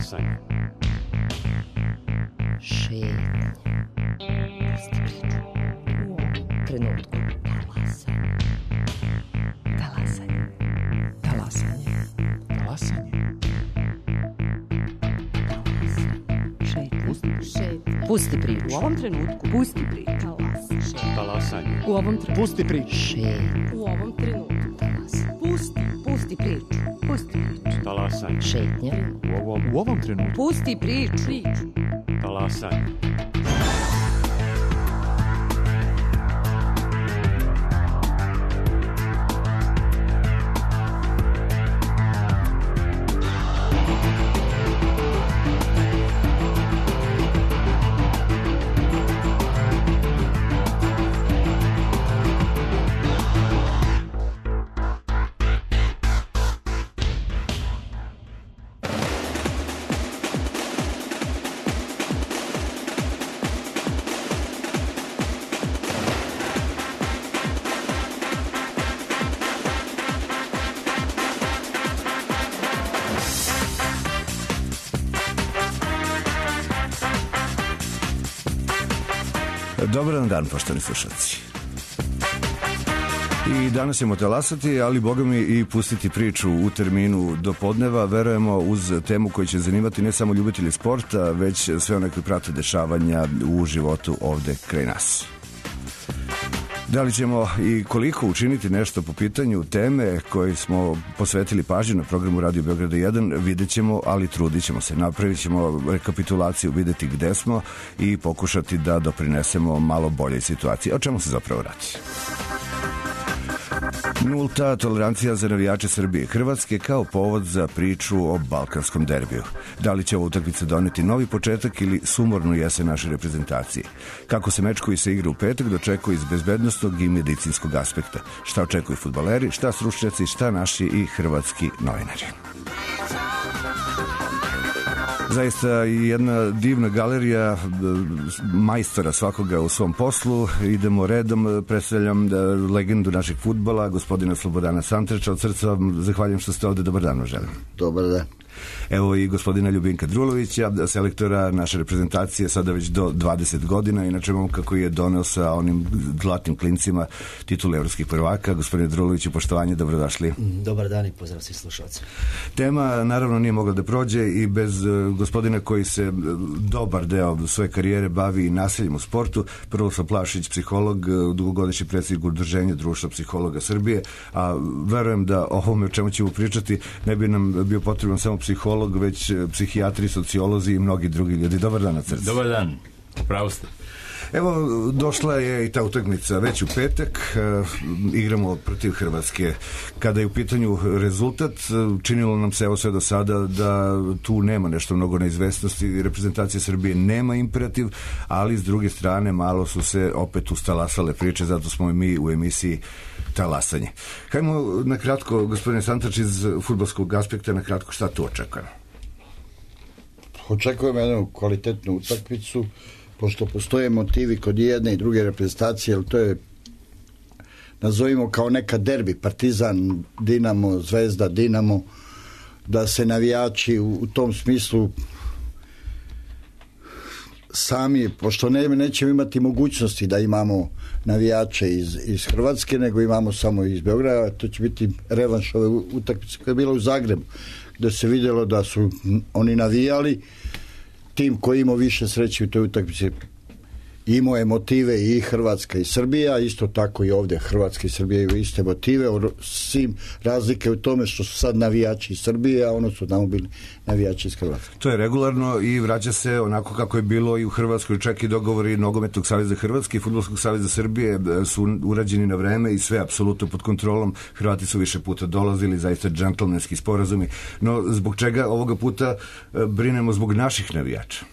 Talasanje. Šetnja. Pusti priču. U ovom trenutku. Talasanje. Talasanje. Talasanje. Talasanje. Šetnja. Pusti priču. U ovom trenutku. Pusti priču. Talasanje. U ovom trenutku. Pusti priču. Šetnja. U ovom trenutku. Talasanje. Pusti priču. Pusti priču. Talasanje. Šetnja. U ovom trenutku. Pusti priču. Talasanje. Dobar dan, poštovani slušalci. I danas ćemo talasati, ali boga mi i pustiti priču u terminu do podneva. Verujemo uz temu koja će zanimati ne samo ljubitelji sporta, već sve one koji prate dešavanja u životu ovde kraj nas. Da li ćemo i koliko učiniti nešto po pitanju teme koje smo posvetili pažnju na programu Radio Beograda 1, vidjet ćemo, ali trudit ćemo se. Napravit ćemo rekapitulaciju, vidjeti gde smo i pokušati da doprinesemo malo boljoj situaciji. O čemu se zapravo radi? Nulta tolerancija za navijače Srbije i Hrvatske kao povod za priču o balkanskom derbiju. Da li će ova utakmica doneti novi početak ili sumornu jesen naše reprezentacije? Kako se meč koji se igra u petak dočekuje iz bezbednostnog i medicinskog aspekta? Šta očekuju fudbaleri, šta stručnjaci, šta naši i hrvatski novinari? Zaista jedna divna galerija majstora svakoga u svom poslu. Idemo redom, predstavljam legendu našeg fudbala, gospodina Slobodana Santreča. Od srca vam zahvaljujem što ste ovde. Dobar dan vam želim. Dobar dan. Evo i gospodina Ljubinka Drulovića, selektora naše reprezentacije, sada već do 20 godina, inače momka koji je doneo sa onim zlatnim klincima titulu evropskih prvaka. Gospodine Druloviću, poštovanje, dobrodošli. Dobar dan i pozdrav svih slušalcima. Tema naravno nije mogla da prođe i bez gospodina koji se dobar deo svoje karijere bavi nasiljem u sportu. Prvoslav Plašić, psiholog, dugogodišnji predsjednik Udruženja Društva psihologa Srbije, a verujem da o ovome o čemu ćemo pričati ne bi nam bio potreban samo psiholog, već psihijatri, sociolozi i mnogi drugi ljudi. Dobar dan na srcu. Dobar dan, pravo ste. Evo, došla je i ta utakmica već u petak, igramo protiv Hrvatske. Kada je u pitanju rezultat, činilo nam se evo sve do sada da tu nema nešto mnogo neizvestnosti, reprezentacija Srbije nema imperativ, ali s druge strane malo su se opet ustalasale priče, zato smo i mi u emisiji Talasanje. Hajmo na kratko, gospodine Santrač, iz fudbalskog aspekta, na kratko šta tu očekujemo? Očekujemo jednu kvalitetnu utakmicu, pošto postoje motivi kod jedne i druge reprezentacije, ali to je, nazovimo kao neka derbi, Partizan, Dinamo, Zvezda, Dinamo, da se navijači u tom smislu sami, pošto nećemo imati mogućnosti da imamo navijače iz Hrvatske, nego imamo samo iz Beograda, to će biti revanš ove utakmice koja je bila u Zagrebu, gde se vidjelo da su oni navijali. Tim koji imao više sreće u toj utakmici imao je motive i Hrvatska i Srbija, isto tako i ovdje Hrvatska i Srbija imaju iste motive, svim razlike u tome što su sad navijači iz Srbije, a ono su tamo bili navijači iz Hrvatske. To je regularno i vraća se onako kako je bilo i u Hrvatskoj, čak i dogovori Nogometnog saveza Hrvatske i Fudbalskog saveza Srbije su urađeni na vreme i sve apsolutno pod kontrolom. Hrvati su više puta dolazili, zaista džentlmenski sporazumi, no zbog čega ovoga puta brinemo zbog naših navijača?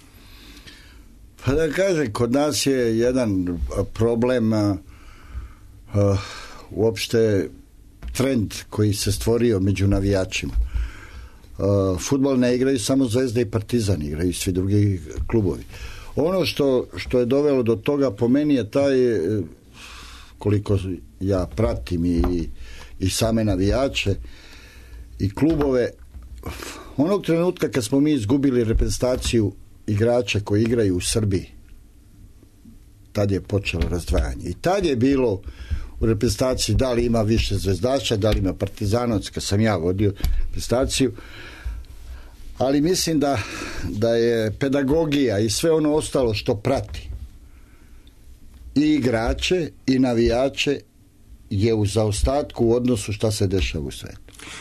Pa da kažem, kod nas je jedan problem uopšte trend koji se stvorio među navijačima. Fudbal ne igraju samo Zvezda i Partizan, igraju svi drugi klubovi. Ono što je dovelo do toga po meni je taj, koliko ja pratim i same navijače i klubove, Onog trenutka kad smo mi izgubili reprezentaciju igrača koji igraju u Srbiji, tad je počelo razdvajanje. I tad je bilo u reprezentaciji da li ima više zvezdaša, da li ima Partizanovac, kad sam ja vodio reprezentaciju. Ali mislim da je pedagogija i sve ono ostalo što prati i igrače i navijače je u zaostatku u odnosu šta se dešava u svetu.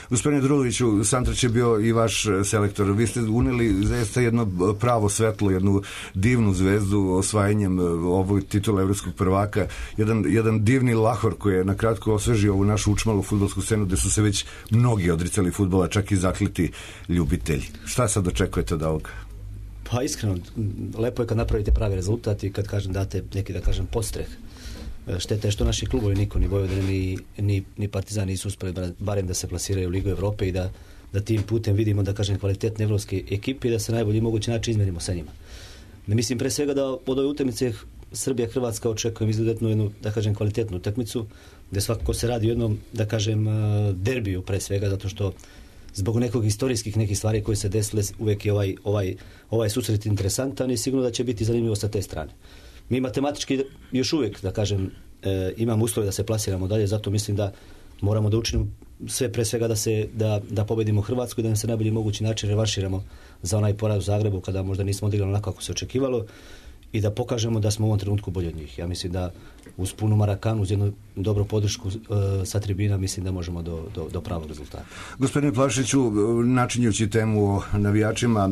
Gospodine Druloviću, Santrač je bio i vaš selektor. Vi ste uneli zaista jedno pravo svetlo, jednu divnu zvezdu osvajanjem ovog titula evropskog prvaka, jedan divni lahor koji je na kratko osvežio ovu našu učmalu fudbalsku scenu gde su se već mnogi odricali fudbala, čak i zakliti ljubitelji. Šta sad očekujete od ovoga? Pa iskreno, lepo je kad napravite pravi rezultat i kad date neki, da kažem, postreh. Šteta je što naši klubovi niko, ni Vojvodina ni Partizan nisu uspeli barem da se plasiraju u Ligu Evrope i da tim putem vidimo, da kažem, kvalitetne evropske ekipe i da se najbolji mogući način izmerimo sa njima. Ne mislim pre svega da od ove utakmice Srbija-Hrvatska očekujem izuzetnu jednu, da kažem, kvalitetnu utakmicu, gde svakako se radi o jednom, da kažem, derbiju pre svega, zato što zbog nekog istorijskih nekih stvari koje se desile uvek je ovaj susret interesantan i sigurno da će biti zanimljivo sa te strane. Mi matematički još uvijek, da kažem, imamo uslove da se plasiramo dalje, zato mislim da moramo da učinimo sve pre svega da pobedimo Hrvatsku i da nam se najbolji mogući način revanširamo za onaj poraz u Zagrebu kada možda nismo odigrali onako kako se očekivalo i da pokažemo da smo u ovom trenutku bolji od njih. Ja mislim da uz punu Marakanu, uz jednu dobru podršku sa tribina, mislim da možemo do pravog rezultata. Gospodine Plavšiću, načinjući temu o navijačima,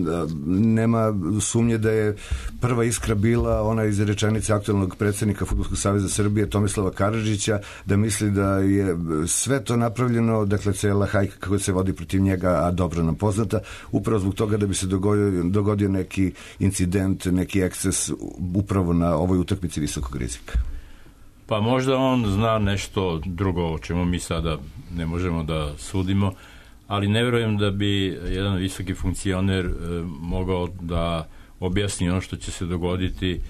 nema sumnje da je prva iskra bila ona iz rečenice aktualnog predsjednika Fudbalskog saveza Srbije Tomislava Karadžića, da misli da je sve to napravljeno, dakle cela hajka kako se vodi protiv njega, a dobro nam poznata, upravo zbog toga da bi se dogodio neki incident, neki eksces upravo na ovoj utakmici visokog rizika. Pa možda on zna nešto drugo o čemu mi sada ne možemo da sudimo, ali ne vjerujem da bi jedan visoki funkcioner mogao da objasni ono što će se dogoditi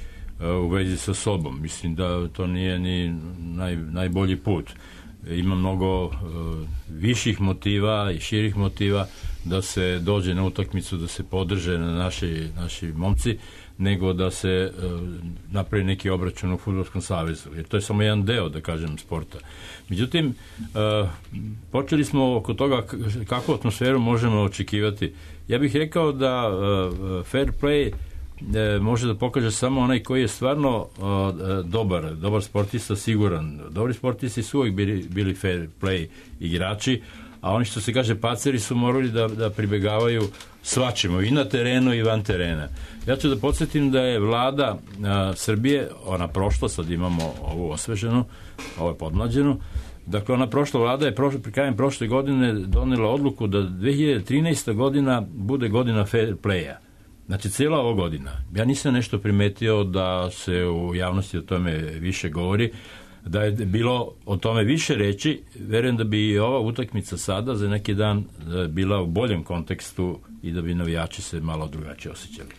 u vezi sa sobom. Mislim da to nije ni najbolji put. Ima mnogo viših motiva i širih motiva da se dođe na utakmicu, da se podrže na naši momci, nego da se napravi neki obračun u Fudbalskom savezu. Jer to je samo jedan deo, da kažem, sporta. Međutim, počeli smo oko toga kakvu atmosferu možemo očekivati. Ja bih rekao da fair play može da pokaže samo onaj koji je stvarno dobar sportista, siguran. Dobri sportisti su uvijek bili fair play igrači, a oni što se kaže paceri su morali da pribegavaju svačemu i na terenu i van terena. Ja ću da podsjetim da je vlada Srbije, ona prošla, sad imamo ovu osveženu, ovo je podmlađenu, dakle ona prošla vlada je krajem prošle godine donela odluku da 2013. godina bude godina fair playa. Znači cijela ova godina. Ja nisam nešto primetio da se u javnosti o tome više govori, da je bilo o tome više reći. Verujem da bi i ova utakmica sada za neki dan bila u boljem kontekstu i da bi navijači se malo drugačije osjećali.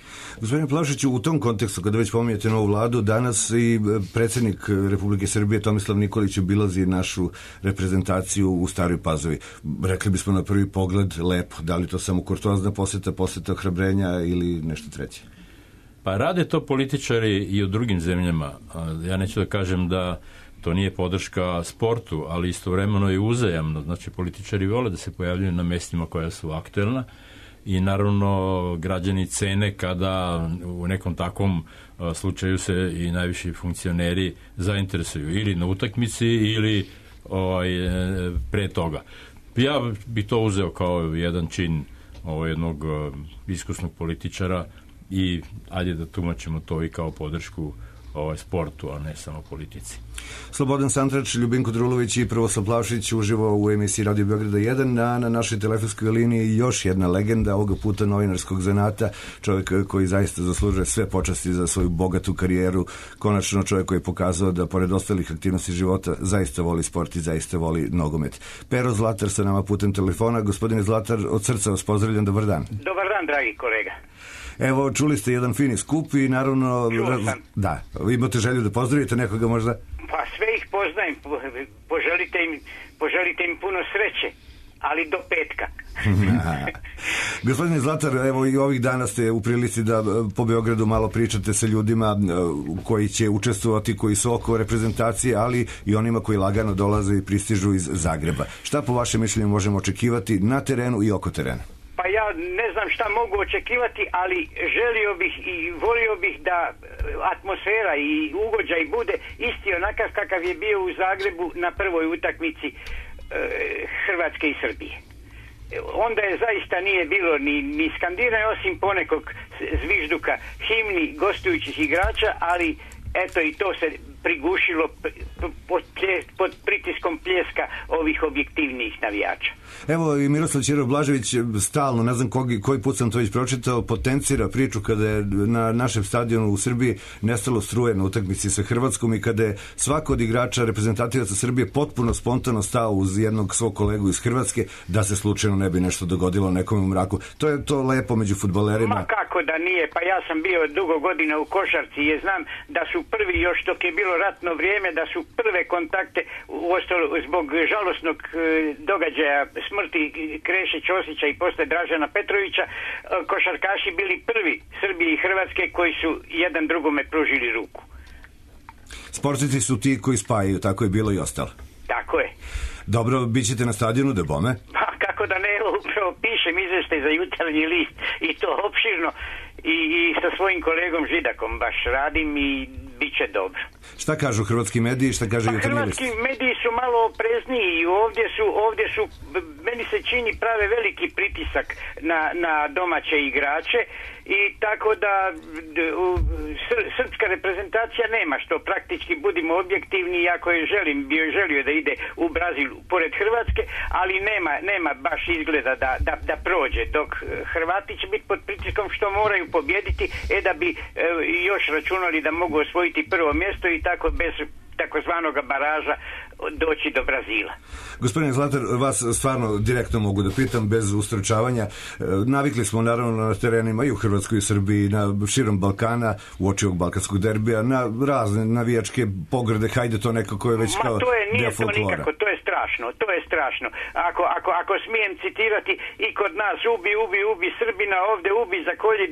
Gospodine Plavšiću, u tom kontekstu, kada već pominjete novu vladu, danas i predsjednik Republike Srbije Tomislav Nikolić obilazi našu reprezentaciju u Staroj Pazovi. Rekli bismo na prvi pogled lepo. Da li to samo kurtoazna posjeta ohrabrenja ili nešto treće? Pa rade to političari i u drugim zemljama. Ja neću da kažem da to nije podrška sportu, ali istovremeno je uzajamno. Znači, političari vole da se pojavljaju na mestima koja su aktuelna i naravno građani cene kada u nekom takvom slučaju se i najviši funkcioneri zainteresuju ili na utakmici ili pre toga. Ja bih to uzeo kao jedan čin jednog iskusnog političara i ajde da tumačimo to i kao podršku sportu, a ne samo politici. Slobodan Santrač, Ljubinko Drulović i Prvoslav Plavšić uživo u emisiji Radio Beograda 1, a na našoj telefonskoj liniji još jedna legenda, ovoga puta novinarskog zanata, čovjek koji zaista zaslužuje sve počasti za svoju bogatu karijeru, konačno čovjek koji je pokazao da pored ostalih aktivnosti života zaista voli sport i zaista voli nogomet. Pero Zlatar sa nama putem telefona. Gospodine Zlatar, od srca vas pozdravljam, dobar dan. Dobar dan, dragi kolega. Evo, čuli ste jedan fini skup i naravno... Čuo sam. Da, vi imate želju da pozdravite nekoga možda? Pa sve ih poznajem, poželite im puno sreće ali do petka. Gospodine Zlatar, evo i ovih dana ste u prilici da po Beogradu malo pričate sa ljudima koji će učestvovati, koji su oko reprezentacije, ali i onima koji lagano dolaze i pristižu iz Zagreba. Šta po vašem mišljenju možemo očekivati na terenu i oko terena? Pa ja ne znam šta mogu očekivati, ali želio bih i volio bih da atmosfera i ugođaj bude isti onakav kakav je bio u Zagrebu na prvoj utakmici Hrvatske i Srbije. Onda je zaista nije bilo ni skandiranja osim ponekog zvižduka himni gostujućih igrača, ali eto i to se prigušilo pod pritiskom pljeska ovih objektivnijih navijača. Evo i Miroslav Ćiro Blažević stalno, ne znam koji put sam to već pročitao, potencira priču kada je na našem stadionu u Srbiji nestalo struje na utakmici sa Hrvatskom i kada je svako od igrača reprezentativaca Srbije potpuno spontano stao uz jednog svog kolegu iz Hrvatske da se slučajno ne bi nešto dogodilo nekome u mraku. To je to lepo među fudbalerima. Ma kako da nije, pa ja sam bio dugo godina u košarci i znam da su prvi, još dok je bilo ratno vrijeme, da su prve kontakte zbog žalosnog događaja smrti Kreše Ćosića i posle Dražana Petrovića, košarkaši bili prvi Srbije i Hrvatske koji su jedan drugome pružili ruku. Sportisti su ti koji spajaju, tako je bilo i ostalo. Tako je. Dobro, bit ćete na stadionu, da bome? Pa kako da ne, upravo pišem izveštaj za Jutarnji list i to opširno i sa svojim kolegom Židakom baš radim i bit će dobro. Šta kažu hrvatski mediji, šta kaže Jutarnji list? Hrvatski mediji su malo oprezniji i ovdje su, meni se čini, prave veliki pritisak na domaće igrače i tako da srpska reprezentacija nema što, praktički budimo objektivni, iako je želio da ide u Brazil pored Hrvatske, ali nema baš izgleda da prođe, dok Hrvati će biti pod pritiskom što moraju pobjediti, da bi još računali da mogu osvojiti prvo mjesto i tako bez takozvanog baraža doći do Brazila. Gospodine Zlatar, vas stvarno direktno mogu da pitam bez ustručavanja. Navikli smo naravno na terenima i u Hrvatskoj i Srbiji, na širom Balkana, uoči ovog balkanskog derbija, na razne navijačke pograde, hajde to nekako je već kao deo folklora. Nikako, to je strašno. Ako smijem citirati, i kod nas ubi Srbina, ovdje ubi zakolji,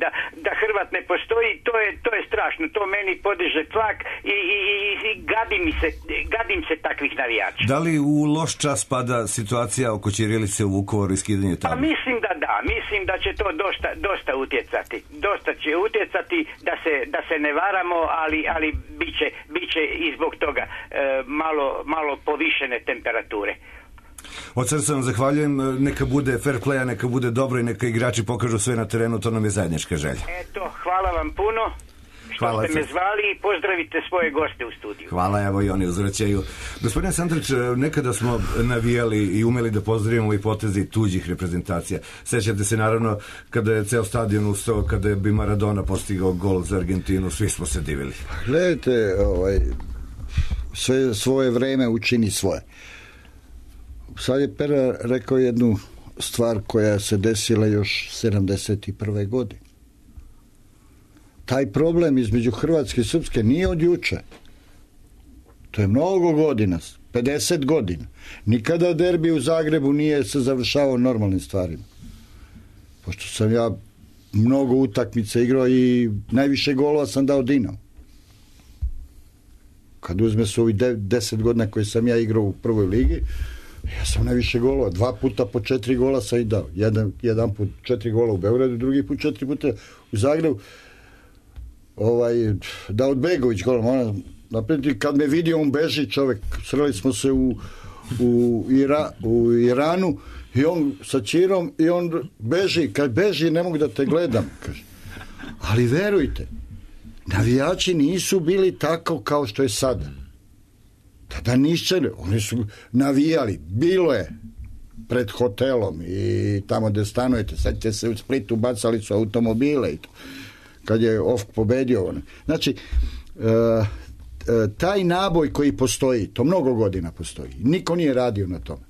da Hrvat ne postoji, to je strašno. To meni podiže tlak i gadim se takvih navijača. Da li u loš čas pada situacija oko ćirilice u Vukovaru i skidanje tamo? Pa mislim da će to dosta utjecati. Dosta će utjecati da se ne varamo, ali bit će i zbog toga malo povišene temperature. Od srca vam zahvaljujem, neka bude fair playa, neka bude dobro i neka igrači pokažu sve na terenu, to nam je zajednička želja. Eto, hvala vam puno. Što ste me zvali i pozdravite svoje goste u studiju. Hvala, evo i oni uzvraćaju. Gospodine Sandrić, nekada smo navijali i umeli da pozdravimo i poteze tuđih reprezentacija. Sećate se naravno kada je ceo stadion ustao, kada bi Maradona postigao gol za Argentinu, svi smo se divili. Gledajte, sve svoje vreme učini svoje. Sad je Pera rekao jednu stvar koja se desila još 71. godine. Taj problem između Hrvatske i Srpske nije od juče. To je mnogo godina, 50 godina. Nikada derbi u Zagrebu nije se završavao normalnim stvarima. Pošto sam ja mnogo utakmica igrao i najviše golova sam dao Dinamo. Kad uzme se ovi 10 godina koje sam ja igrao u prvoj ligi, ja sam najviše golova. 2 puta po 4 gola sam i dao. Jedan put 4 gola u Beogradu, drugi put 4 puta u Zagrebu. Da od Begović gola, moram naprijed, kad me vidio on beži čovjek, sreli smo se u Iranu i on sa Čirom i on beži, kad beži ne mogu da te gledam, kaže. Ali verujte, navijači nisu bili tako kao što je sada. Tada nišće, oni su navijali, bilo je pred hotelom i tamo gde stanujete, sad ćete se u Splitu, bacali su automobile i to. Kad je OFK pobedio. Znači, taj naboj koji postoji, to mnogo godina postoji, niko nije radio na tome.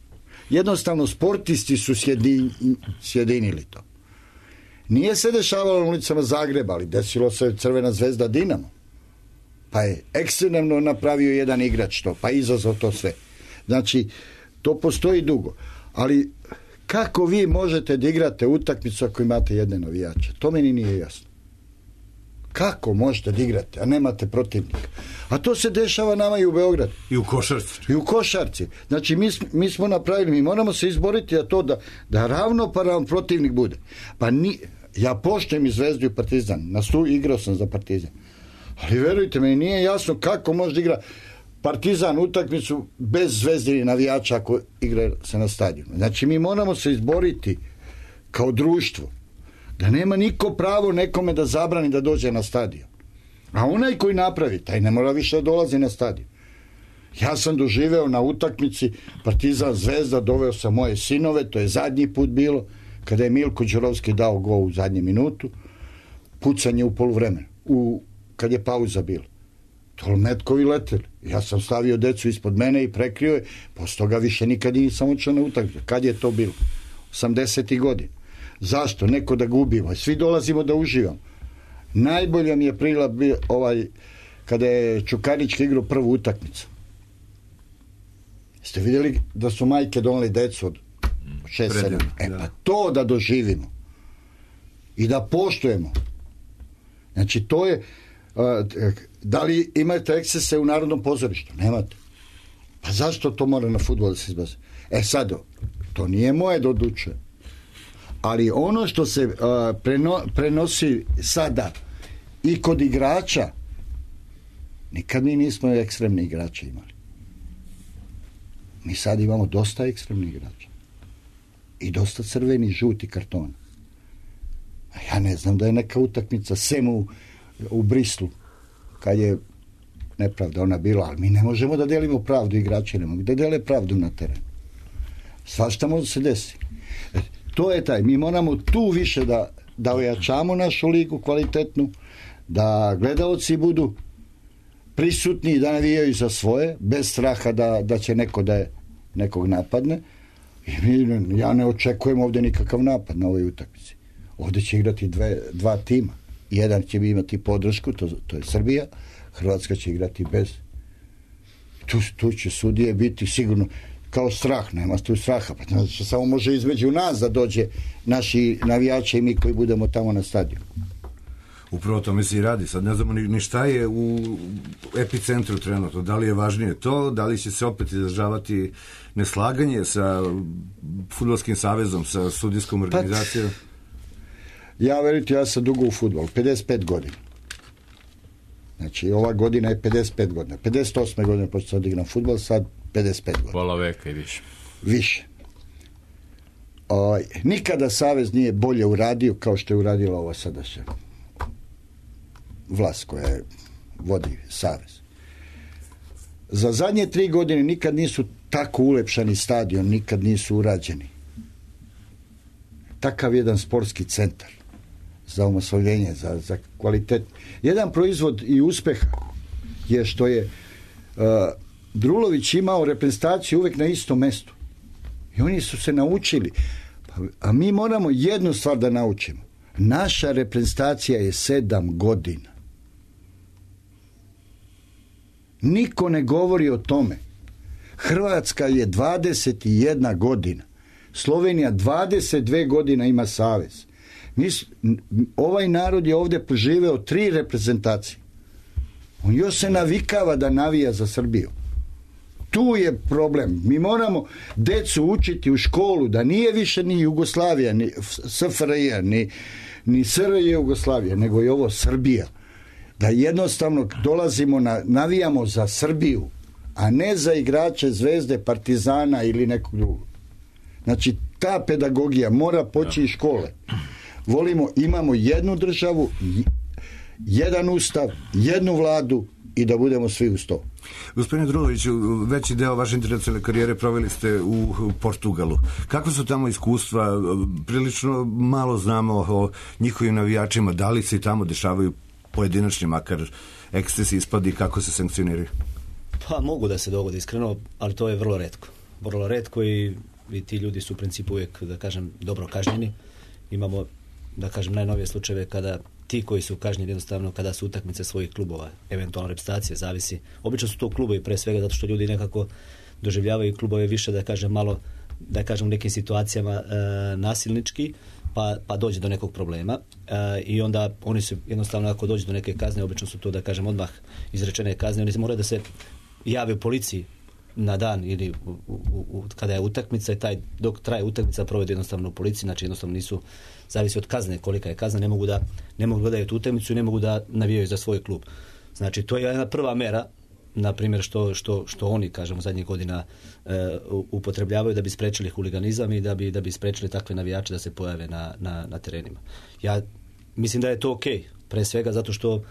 Jednostavno, sportisti su sjedinili to. Nije se dešavalo na ulicama Zagreba, ali desilo se Crvena zvezda Dinamo. Pa je ekstremno napravio jedan igrač to, pa izazvao to sve. Znači, to postoji dugo. Ali, Kako vi možete da igrate utakmicu ako imate jedne navijače? To meni nije jasno. Kako možete da igrate, a nemate protivnika? A to se dešava nama i u Beogradu. I u košarci. I u košarci. Znači, mi smo napravili, mi moramo se izboriti za to da ravnopravan protivnik bude. Pa ja poštujem i Zvezdu i Partizan. Igrao sam za Partizan. Ali verujte, meni nije jasno kako može igra Partizan utakmicu bez Zvezdinih navijača ako igra se na stadionu. Znači, mi moramo se izboriti kao društvo da nema niko pravo nekome da zabrani da dođe na stadion. A onaj koji napravi, taj ne mora više da dolazi na stadion. Ja sam doživeo na utakmici Partizan Zvezda, doveo sam moje sinove, to je zadnji put bilo, kada je Milko Đurovski dao gol u zadnju minutu, pucanje u poluvremenu, kad je pauza bila. Tolmetkovi leteli. Ja sam stavio decu ispod mene i prekrio je, posle toga više nikad nisam očeo na utakmicu. Kad je to bilo? 80. godina. Zašto? Neko da ga ubijemo. Svi dolazimo da uživamo. Najbolja mi je prila kada je Čukarički igrao prvu utakmicu. Ste vidjeli da su majke doneli decu od 6-7? Pa to da doživimo i da poštujemo. Znači to je da li imate ekscese u Narodnom pozorištu? Nemate. Pa zašto to mora na fudbal da se izbazi? Sad, to nije moje da odlučuje. Ali ono što se prenosi sada i kod igrača, nikad mi nismo ekstremni igrače imali. Mi sad imamo dosta ekstremnih igrača. I dosta crveni, žuti kartona. A ja ne znam da je neka utakmica sem u Brislu, kad je nepravda ona bila, ali mi ne možemo da delimo pravdu, igrači ne mogu da dele pravdu na terenu. Svašta može se desiti. To je taj, mi moramo tu više da ojačamo našu ligu kvalitetnu, da gledaoci budu prisutni i da navijaju za svoje, bez straha da će neko da je nekog napadne. Ja ne očekujem ovdje nikakav napad na ovoj utakmici. Ovdje će igrati dva tima. Jedan će imati podršku, to je Srbija, Hrvatska će igrati bez. Tu će sudije biti sigurno kao strah, nema tu straha, pa znači samo može između nas da dođe naši navijači i mi koji budemo tamo na stadionu. Upravo to mi se i radi. Sad ne znamo ni šta je u epicentru trenutno. Da li je važnije to, da li će se opet izražavati neslaganje sa Fudbalskim savezom, sa sudijskom organizacijom? Ja verujte, ja sam dugo u fudbalu, 55 godina. Znači, ova godina je 55 godina. 58. godine počeo sam da igram fudbal, sad 55 godina. Pola veka i više. Više. Nikada savez nije bolje uradio kao što je uradila ova sadašnja vlast koja vodi savez. Za zadnje 3 godine nikad nisu tako ulepšani stadion, nikad nisu urađeni. Takav jedan sportski centar za omasovljenje, za kvalitet. Jedan proizvod i uspeha je što je Drulović imao reprezentaciju uvek na istom mestu. I oni su se naučili. A mi moramo jednu stvar da naučimo. Naša reprezentacija je 7 godina. Niko ne govori o tome. Hrvatska je 21 godina. Slovenija 22 godina ima savez. Ovaj narod je ovdje poživeo 3 reprezentacije. On još se navikava da navija za Srbiju. Tu je problem. Mi moramo decu učiti u školu da nije više ni Jugoslavija, ni SFRJ, ni SRJ Jugoslavija, nego je ovo Srbija. Da jednostavno dolazimo navijamo za Srbiju, a ne za igrače Zvezde, Partizana ili nekog drugog. Znači, ta pedagogija mora poći iz škole. Imamo jednu državu, jedan ustav, jednu vladu i da budemo svi uz to. Gospodine Druloviću, veći deo vaše internacionalne karijere proveli ste u Portugalu. Kako su tamo iskustva? Prilično malo znamo o njihovim navijačima. Da li se i tamo dešavaju pojedinačni, makar ekscesi, ispadi, kako se sankcioniraju? Pa mogu da se dogodi iskreno, ali to je vrlo retko. Vrlo retko i ti ljudi su u principu uvijek, da kažem, dobro kažnjeni. Imamo, da kažem, najnovije slučajeve kada ti koji su kažnjeni jednostavno kada su utakmice svojih klubova, eventualno reprezentacije, zavisi. Obično su to klubovi pre svega zato što ljudi nekako doživljavaju klubove više, da kažem, malo da kažem u nekim situacijama nasilnički, pa dođe do nekog problema i onda oni su jednostavno, ako dođe do neke kazne, obično su to, da kažem, odmah izrečene kazne, oni se moraju da se jave u policiji na dan ili kada je utakmica i dok traje utakmica provede jednostavno u policiji, znači jednostavno nisu, zavisi od kazne, kolika je kazna, ne mogu gledati tu utakmicu i ne mogu da navijaju za svoj klub. Znači to je jedna prva mera, na primjer što oni, kažemo, zadnjih godina upotrebljavaju da bi sprečili huliganizam i da bi sprečili takve navijače da se pojave na terenima. Ja mislim da je to okej, pre svega zato što,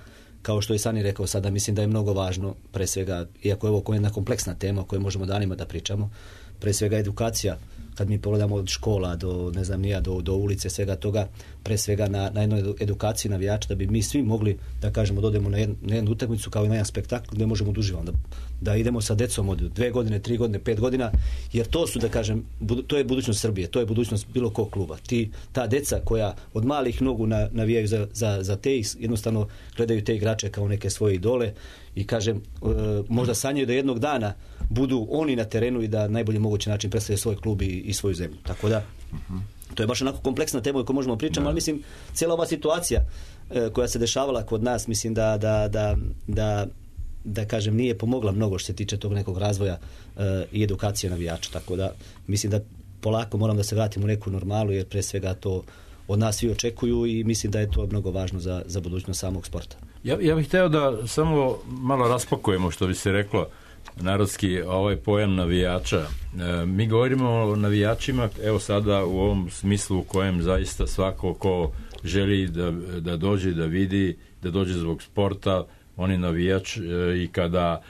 kao što je Sani rekao sada, mislim da je mnogo važno, pre svega, iako je ovo jedna kompleksna tema o kojoj možemo danima da pričamo, pre svega edukacija, kad mi pogledamo od škola do, ne znam nija, do ulice, svega toga, pre svega na jednoj edukaciji navijača, da bi mi svi mogli, da kažemo, da odemo na jednu utakmicu kao i na jedan spektakl gdje možemo da uživamo, da idemo sa decom od 2 godine, 3 godine, 5 godina, jer to su, da kažem, to je budućnost Srbije, to je budućnost bilo kog kluba. Ta deca koja od malih nogu navijaju za te, jednostavno gledaju te igrače kao neke svoje idole i, kažem, možda sanjaju da jednog dana budu oni na terenu i da najbolji mogući način predstavljaju svoj klub i svoju zemlju. Tako da, to je baš onako kompleksna tema o kojoj možemo pričati, ali mislim, cijela ova situacija koja se dešavala kod nas, mislim da kažem, nije pomogla mnogo što se tiče tog nekog razvoja i edukacije navijača. Tako da, mislim da polako moram da se vratim u neku normalu, jer pre svega to od nas svi očekuju i mislim da je to mnogo važno za budućnost samog sporta. Ja bih hteo da samo malo raspakujemo, što bi se reklo narodski, ovaj pojam navijača. Mi govorimo o navijačima, evo sada u ovom smislu u kojem zaista svako ko želi da dođe da vidi, da dođe zbog sporta, on je navijač i kada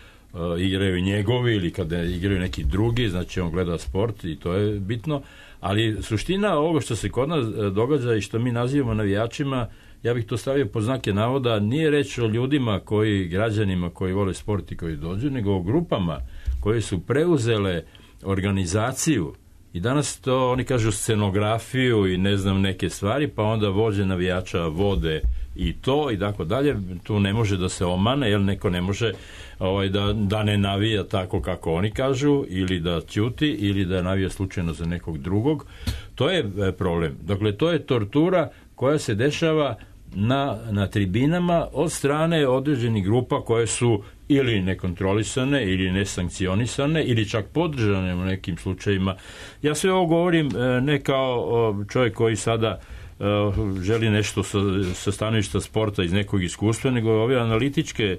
igraju njegovi ili kada igraju neki drugi, znači on gleda sport i to je bitno, ali suština ovoga što se kod nas događa i što mi nazivamo navijačima, ja bih to stavio pod znake navoda, nije reč o ljudima građanima koji vole sport i koji dođu, nego o grupama koje su preuzele organizaciju i danas to oni kažu scenografiju i ne znam neke stvari, pa onda vođe navijača vode i to i tako dalje. Tu ne može da se omane, jer neko ne može da ne navija tako kako oni kažu, ili da ćuti, ili da navija slučajno za nekog drugog. To je problem. Dakle, to je tortura koja se dešava na tribinama od strane određenih grupa koje su ili nekontrolisane ili nesankcionisane ili čak podržane u nekim slučajima. Ja sve ovo govorim ne kao čovjek koji sada želi nešto sa stanovišta sporta iz nekog iskustva, nego ove analitičke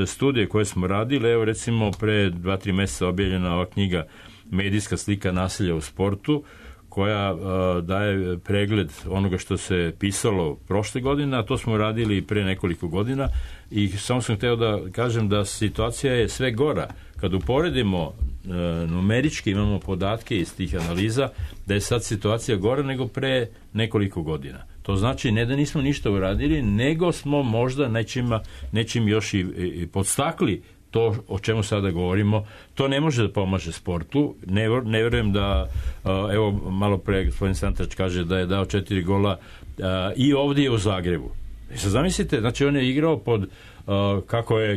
studije koje smo radili. Evo recimo pre 2-3 mjeseca objavljena ova knjiga Medijska slika nasilja u sportu, koja daje pregled onoga što se pisalo prošle godine, a to smo radili pre nekoliko godina i samo sam hteo da kažem da situacija je sve gora. Kad uporedimo numerički, imamo podatke iz tih analiza, da je sad situacija gora nego pre nekoliko godina. To znači ne da nismo ništa uradili, nego smo možda nečim još i podstakli to o čemu sada govorimo. To ne može da pomaže sportu. Ne vjerujem da, evo malo pre gospodin Santrač kaže da je dao 4 gola i ovdje u Zagrebu. I sad zamislite, znači on je igrao pod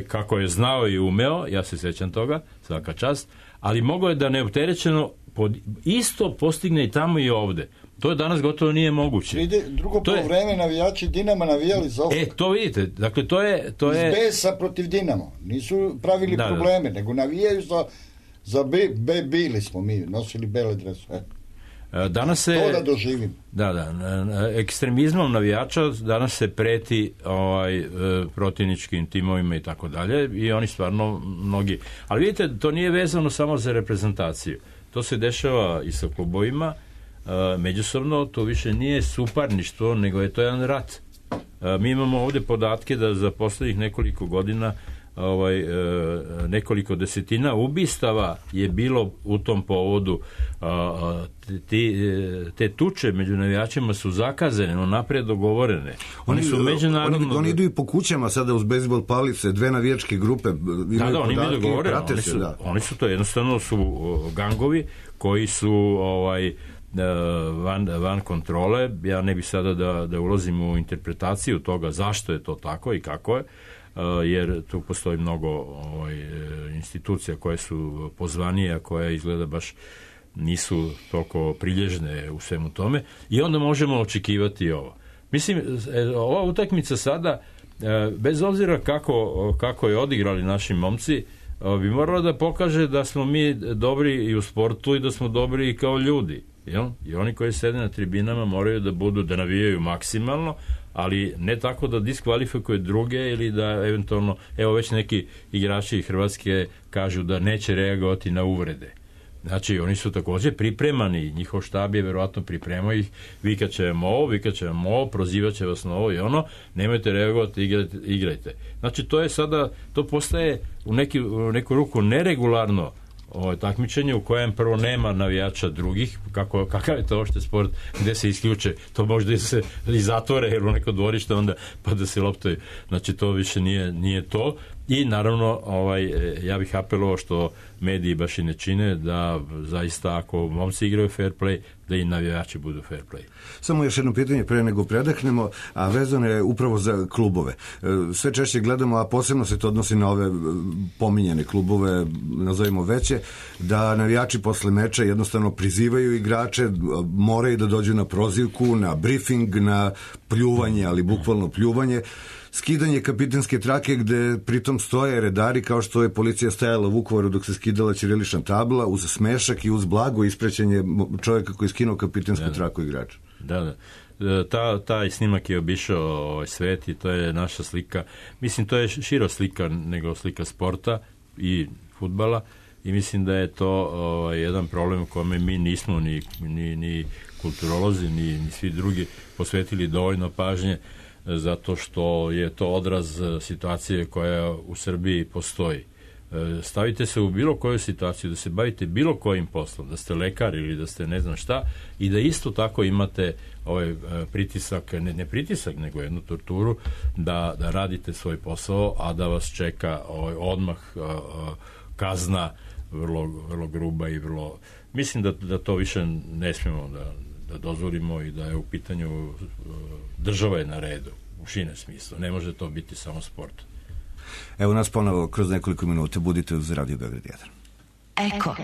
kako je znao i umeo, ja se sjećam toga, svaka čast, ali mogao je da neopterećeno isto postigne i tamo i ovde. To je danas gotovo nije moguće. Drugo poluvreme navijači Dinama navijali za ovo. To vidite, dakle to je... Iz besa protiv Dinamo. Nisu pravili probleme, nego navijaju za bili smo mi, nosili bele dresove. Danas se... To da doživim. Da, ekstremizmom navijača danas se preti protivničkim timovima i tako dalje i oni stvarno mnogi... Ali vidite, to nije vezano samo za reprezentaciju. To se dešava i sa klubovima, međusobno, to više nije suparništvo, nego je to jedan rat. Mi imamo ovdje podatke da za posljednjih nekoliko godina nekoliko desetina ubistava je bilo u tom povodu. Te tuče među navijačima su zakazane, naprijed dogovorene. Oni su međunarodno... Oni idu i po kućama sada uz bejzbol palice, 2 navijačke grupe. Oni mi dogovorene. Oni su to jednostavno su gangovi koji su van kontrole. Ja ne bih sada da ulazim u interpretaciju toga zašto je to tako i kako je, jer tu postoji mnogo institucija koje su pozvanije, a koje izgleda baš nisu toliko prilježne u svemu tome i onda možemo očekivati ovo. Mislim, ova utakmica sada, bez obzira kako je odigrali naši momci, bi morala da pokaže da smo mi dobri i u sportu i da smo dobri i kao ljudi. Jel? I oni koji sede na tribinama moraju da navijaju maksimalno, ali ne tako da diskvalifikuju druge ili da eventualno, evo već neki igrači Hrvatske kažu da neće reagovati na uvrede. Znači, oni su također pripremani, njihov štab je verovatno pripremao ih, vikat će vam ovo, prozivat će vas na ovo i ono, nemojte reagovati, igrajte. Znači, to je sada, to postaje u neku ruku neregularno takmičenje u kojem prvo nema navijača drugih, kakav je to ošte sport gde se isključe, to možda se i zatvore jer u neko dvorište onda pa da se loptaju, znači to više nije to i naravno ja bih apelovao što mediji baš i ne čine da zaista ako momci igraju fair play da i navijači budu fair play. Samo još jedno pitanje pre nego predahnemo, a vezano je upravo za klubove. Sve češće gledamo, a posebno se to odnosi na ove pominjene klubove, nazovimo veće, da navijači posle meča jednostavno prizivaju igrače, moraju da dođu na prozivku, na briefing, na pljuvanje, ali bukvalno pljuvanje, skidanje kapitenske trake gde pritom stoje redari kao što je policija stajala u Vukovaru dok se skidala ćirilična tabla uz smešak i uz blago isprećenje čovjeka koji je skinuo kapitensku traku igrača. Da. Taj snimak je obišao svet i to je naša slika. Mislim, to je šira slika nego slika sporta i fudbala i mislim da je to jedan problem u kome mi nismo ni kulturolozi, ni svi drugi posvetili dovoljno pažnje zato što je to odraz situacije koja u Srbiji postoji. Stavite se u bilo koju situaciju, da se bavite bilo kojim poslom, da ste lekar ili da ste ne znam šta i da isto tako imate ovaj pritisak, ne pritisak, nego jednu torturu da radite svoj posao, a da vas čeka odmah kazna vrlo, vrlo gruba i vrlo... Mislim da to više ne smijemo da dozvolimo i da je u pitanju država je na redu u širem smislu. Ne može to biti samo sport. Evo nas ponovo kroz nekoliko minuta. Budite uz Radio Beograd 1. Eko.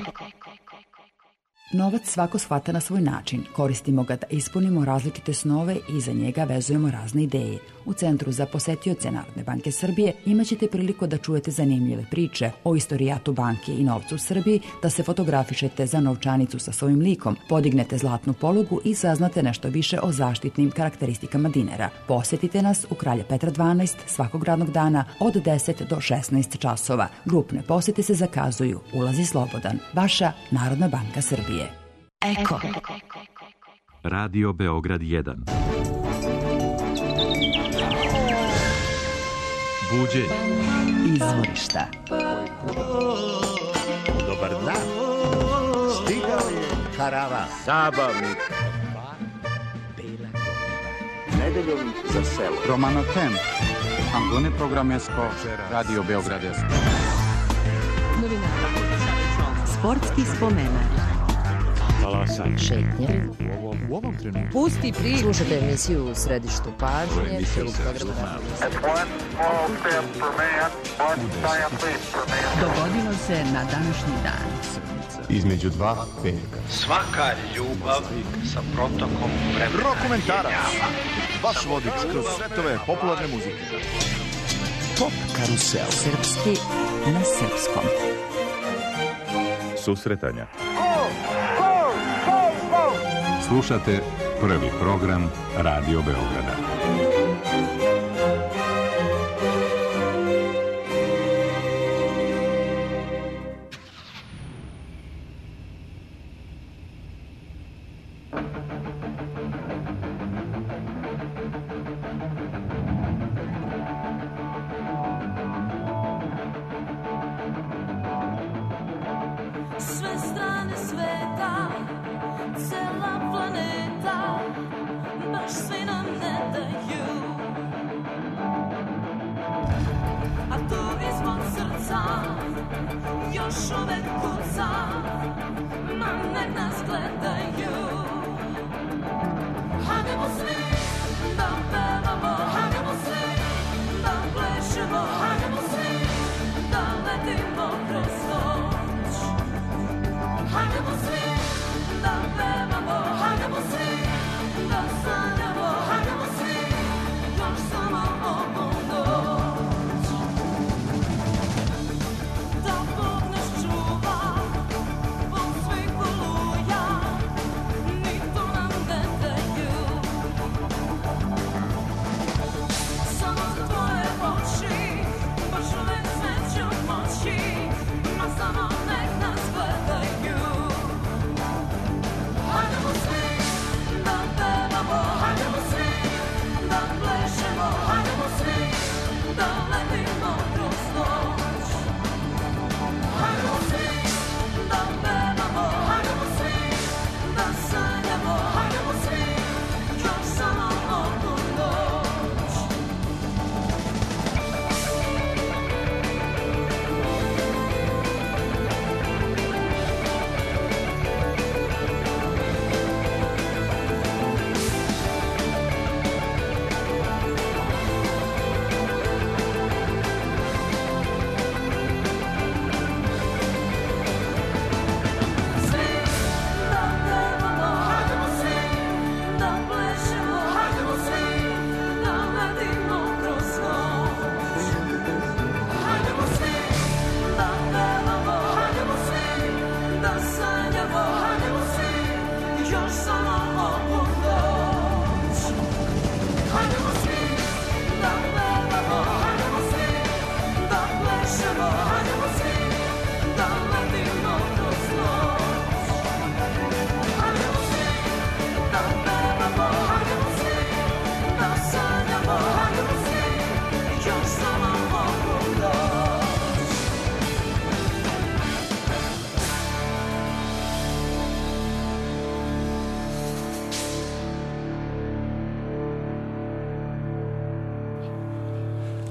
Novac svako shvata na svoj način. Koristimo ga da ispunimo različite snove i za njega vezujemo razne ideje. U Centru za posetioce Narodne banke Srbije imaćete priliku da čujete zanimljive priče o istorijatu banke i novcu u Srbiji, da se fotografišete za novčanicu sa svojim likom, podignete zlatnu polugu i saznate nešto više o zaštitnim karakteristikama dinara. Posetite nas u Kralja Petra 12 svakog radnog dana od 10 do 16 časova. Grupne posete se zakazuju. Ulaz je slobodan. Vaša Narodna banka Srbije. Eko. Radio Beograd 1. Buđenje. Izvorišta. Dobar dan. Stigao je karavan. Zabavnik. Nedeljom za selo. Romano Tem. Antone Programesko. Radio Beograd 1. Sportski spomenak. Talasanje. Šetnje. U ovom trenutku. Pusti priču. Slušajte emisiju u središtu pažnje. Dogodilo se na današnji dan. Između dva velika. Svaka ljubav sa protokom vremena. Rokomentarac. Vaš vodič kroz svetove popularne muzike. Pop karusel. Srpski na srpskom. Susretanja. Slušate prvi program Radio Beograda.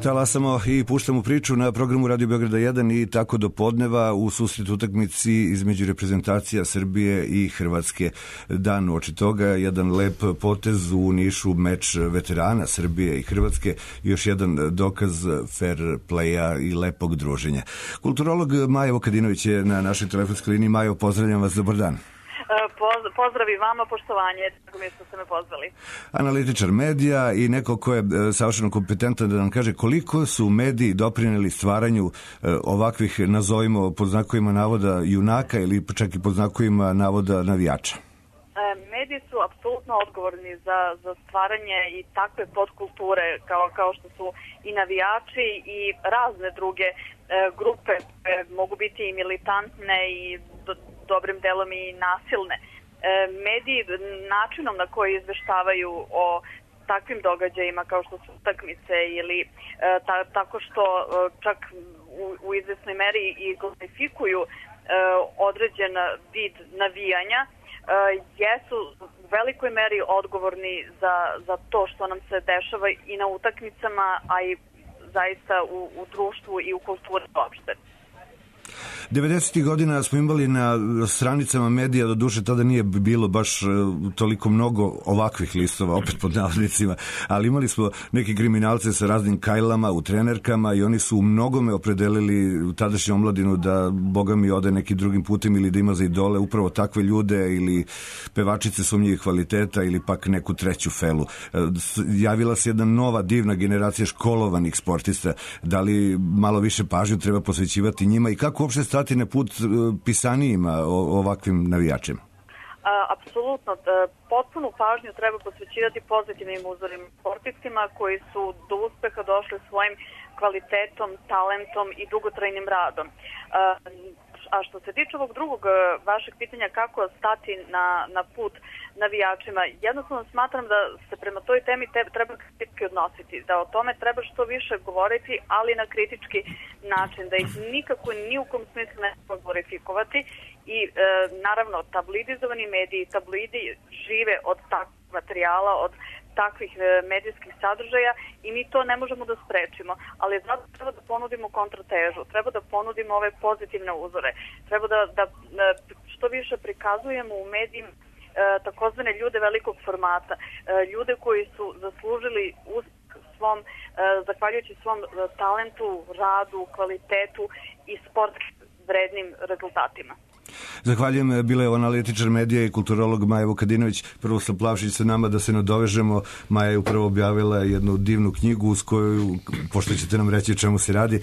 Talasamo i puštamo priču na programu Radio Beograda 1 i tako do podneva u susret utakmici između reprezentacija Srbije i Hrvatske. Dan uoči toga jedan lep potez u Nišu, meč veterana Srbije i Hrvatske, još jedan dokaz fair playa i lepog druženja. Kulturolog Maja Vukadinović je na našoj telefonskoj liniji. Majo, pozdravljam vas, dobar dan. Pozdrav i vama, poštovanje, tako mi što ste me pozvali. Analitičar medija i neko ko je savršeno kompetentan da nam kaže koliko su mediji doprineli stvaranju ovakvih, nazovimo pod znakovima navoda, junaka ili čak i pod znakovima navoda navijača. Mediji su apsolutno odgovorni za stvaranje i takve podkulture kao što su i navijači i razne druge grupe mogu biti i militantne i dobrim delom i nasilne. Mediji načinom na koji izveštavaju o takvim događajima kao što su utakmice ili tako što čak u izvesnoj meri i glorifikuju određen vid navijanja, jesu u velikoj meri odgovorni za to što nam se dešava i na utakmicama, a i zaista u društvu i u kulturi uopšte. 90. godina smo imali na stranicama medija, do duše tada nije bilo baš toliko mnogo ovakvih listova, opet pod navodnicima, ali imali smo neke kriminalce sa raznim kajlama u trenerkama i oni su u mnogome opredelili tadašnju omladinu da Boga mi ode nekim drugim putem ili da ima za idole upravo takve ljude ili pevačice sumnjivih kvaliteta ili pak neku treću felu. Javila se jedna nova divna generacija školovanih sportista. Da li malo više pažnju treba posvećivati njima i kako uopšte stati na put pisanijima o ovakvim navijačima? Apsolutno. Potpunu pažnju treba posvećivati pozitivnim uzorima sportistima koji su do uspeha došli svojim kvalitetom, talentom i dugotrajnim radom. A što se tiče ovog drugog vašeg pitanja kako stati na put navijačima, jednostavno smatram da se prema toj temi treba kritički odnositi, da o tome treba što više govoriti, ali na kritički način, da ih nikako ni u kom smislu ne treba glorifikovati i naravno tabloidizovani mediji, tabloidi žive od takvog materijala, od takvih medijskih sadržaja i mi to ne možemo da sprečimo, ali zato treba da ponudimo kontratežu, treba da ponudimo ove pozitivne uzore, treba da što više prikazujemo u medijima takozvane ljude velikog formata, ljude koji su zaslužili svom, zahvaljujući svom talentu, radu, kvalitetu i sportskim vrednim rezultatima. Zahvaljujem, bila je analitičar medija i kulturolog Maja Vukadinović. Prvo sa Plavšić sa nama da se nadovežemo. Maja je upravo objavila jednu divnu knjigu uz koju, pošto ćete nam reći o čemu se radi,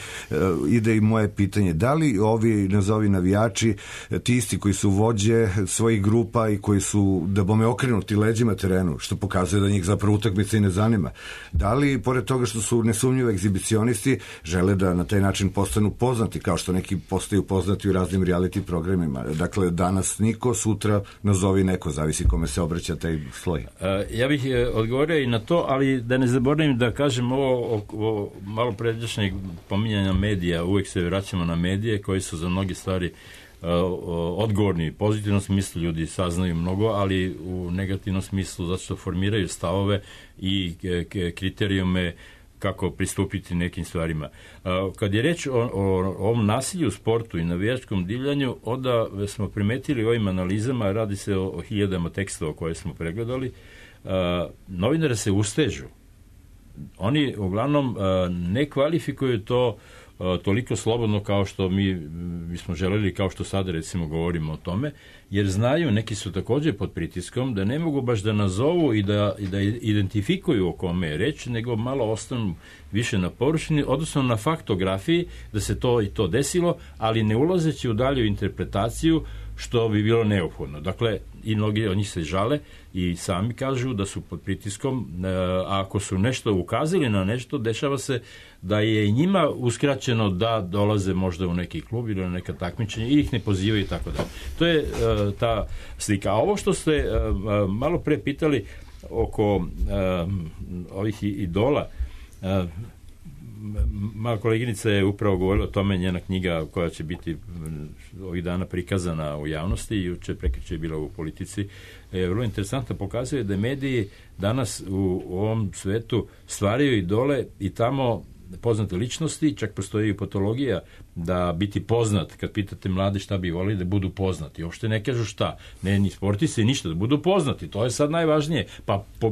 ide i moje pitanje. Da li ovi nazovi navijači, ti isti koji su vođe svojih grupa i koji su da bome okrenuti leđima terenu, što pokazuje da njih zapravo utakmica i ne zanima, da li pored toga što su nesumnjivi egzibicionisti žele da na taj način postanu poznati kao što neki postaju poznati u raznim reality programima? Dakle, danas niko, sutra nazovi neko, zavisi kome se obraća taj sloj. Ja bih odgovorio i na to, ali da ne zaboravim da kažem ovo malo pređašnjeg pominjanja medija, uvijek se vraćamo na medije koji su za mnoge stvari odgovorni. U pozitivnom smislu ljudi saznaju mnogo, ali u negativnom smislu zato što formiraju stavove i kriterijume kako pristupiti nekim stvarima. Kad je reč o ovom nasilju u sportu i navijačkom divljanju, onda smo primetili ovim analizama, radi se o hiljadama tekstova koje smo pregledali, novinari se ustežu. Oni uglavnom ne kvalifikuju to toliko slobodno kao što mi smo želeli, kao što sada recimo govorimo o tome, jer znaju, neki su također pod pritiskom, da ne mogu baš da nazovu i da identifikuju o kome je reč, nego malo ostanu više na površini, odnosno na faktografiji da se to i to desilo, ali ne ulazeći u dalju interpretaciju, što bi bilo neophodno. Dakle, i mnogi od njih se žale i sami kažu da su pod pritiskom, a ako su nešto ukazali na nešto, dešava se da je i njima uskraćeno da dolaze možda u neki klub ili na neka takmičenja i ih ne pozivaju i tako da. To je ta slika. A ovo što ste malo pre pitali oko ovih idola, moja koleginica je upravo govorila o tome, njena knjiga koja će biti ovih dana prikazana u javnosti, juče prekjuče je bila u Politici, je vrlo interesantno, pokazuje da mediji danas u ovom svetu stvaraju idole i tamo poznate ličnosti, čak postoji patologija da biti poznat, kad pitate mlade šta bi volili, da budu poznati. Uopšte ne kažu šta, ne ni sportisti, ništa, da budu poznati, to je sad najvažnije. Pa po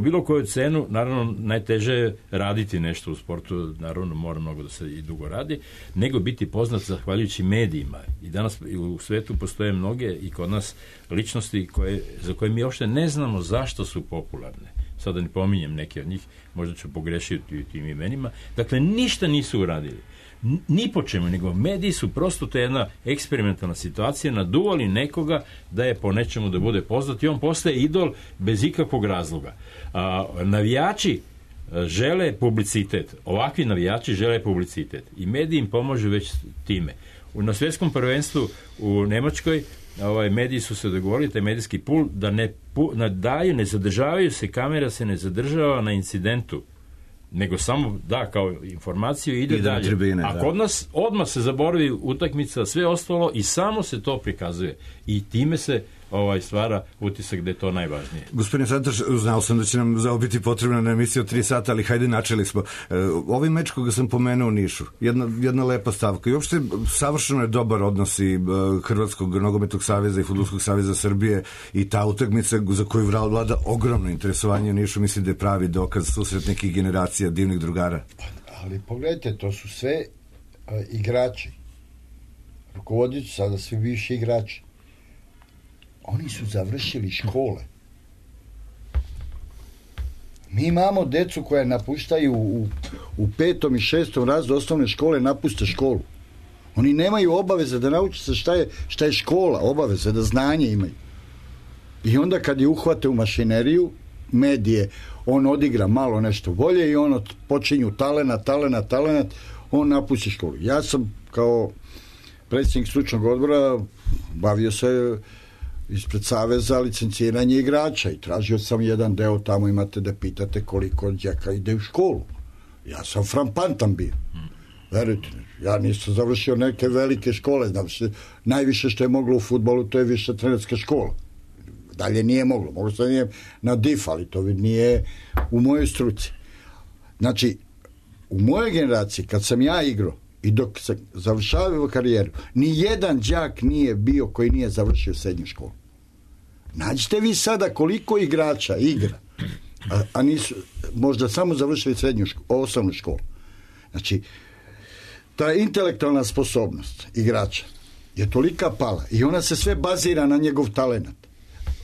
bilo koju cenu, naravno, najteže je raditi nešto u sportu, naravno, mora mnogo da se i dugo radi, nego biti poznat zahvaljujući medijima. I danas u svetu postoje mnoge i kod nas ličnosti za koje mi uopšte ne znamo zašto su popularne. Sada ne pominjem neke od njih, možda ću pogrešiti tim imenima. Dakle, ništa nisu uradili. Ni po čemu, nego mediji su prosto to jedna eksperimentalna situacija, naduvali nekoga da je po nečemu da bude poznat i on postaje idol bez ikakvog razloga. Navijači žele publicitet. Ovakvi navijači žele publicitet. I mediji im pomažu već time. Na svjetskom prvenstvu u Nemačkoj mediji su se dogovorili, taj medijski pul, da ne zadržavaju se, kamera se ne zadržava na incidentu, nego samo da kao informaciju ide dalje. Tribine, a kod nas odmah se zaboravi utakmica, sve ostalo i samo se to prikazuje. I time se stvara utisak da je to najvažnije. Gospodine Santoš, znao sam da će nam za ovo biti potrebna na emisiju od 3 sata, ali hajde, načeli smo. Ovaj meč koga sam pomenuo u Nišu, jedna lepa stavka i uopšte savršeno je dobar odnos i Hrvatskog nogometnog saveza i Fudbalskog saveza Srbije i ta utakmica za koju vlada ogromno interesovanje u Nišu, mislim da je pravi dokaz susret nekih generacija divnih drugara. Ali pogledajte, to su sve igrači. Rukovodioci sada svi bivši igrači. Oni su završili škole. Mi imamo decu koja napuštaju u 5. i 6. razredu osnovne škole, napuste školu. Oni nemaju obaveze da nauče se šta je škola, obaveze da znanje imaju. I onda kad je uhvate u mašineriju, medije, on odigra malo nešto bolje i on počinju talenat, on napusti školu. Ja sam kao predsjednik stručnog odbora bavio se ispred saveza licenciranje igrača i tražio sam jedan deo, tamo imate da pitate koliko đaka ide u školu. Ja sam frampantan bio. Verujte, ja nisam završio neke velike škole, najviše što je moglo u fudbalu to je više trenerska škola. Dalje nije moglo sam nije na DIF, ali to nije u mojoj struci. Znači, u mojoj generaciji, kad sam ja igrao i dok sam završavao karijeru, ni jedan đak nije bio koji nije završio srednju školu. Nađite vi sada koliko igrača igra, a nisu možda samo završili osnovnu školu. Znači, ta intelektualna sposobnost igrača je tolika pala i ona se sve bazira na njegov talent.